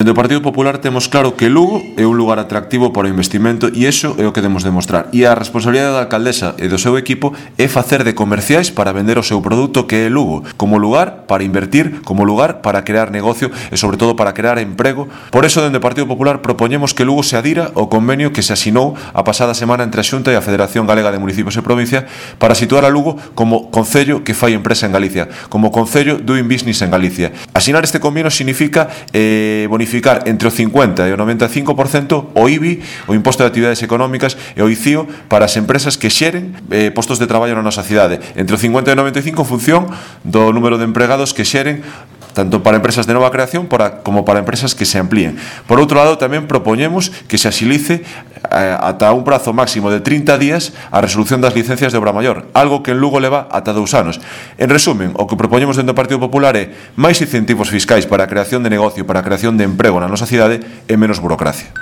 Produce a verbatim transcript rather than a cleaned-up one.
Dentro do Partido Popular temos claro que Lugo é un lugar atractivo para o investimento e iso é o que debemos demostrar. E a responsabilidade da alcaldesa e do seu equipo é facer de comerciais para vender o seu produto que é Lugo, como lugar para invertir, como lugar para crear negocio e sobre todo para crear emprego. Por eso, dentro do Partido Popular propoñemos que Lugo se adira ao convenio que se asinou a pasada semana entre a Xunta e a Federación Galega de Municipios e Provincia para situar a Lugo como concello que fai empresa en Galicia, como concello doing business en Galicia. Asinar este convenio significa eh, bonificar entre o cincuenta e o noventa e cinco por cento o I B I, o Imposto de Actividades Económicas, e o I C I O para as empresas que xeren eh, postos de traballo na nosa cidade. Entre o cincuenta e o noventa e cinco en función do número de empregados que xeren tanto para empresas de nova creación para, como para empresas que se amplíen. Por outro lado, tamén propoñemos que se axilice eh, ata un prazo máximo de trinta días a resolución das licencias de obra maior, algo que en Lugo leva ata dous anos. En resumen, o que propoñemos dentro do Partido Popular é máis incentivos fiscais para a creación de negocio, para a creación de emprego na nosa cidade e menos burocracia.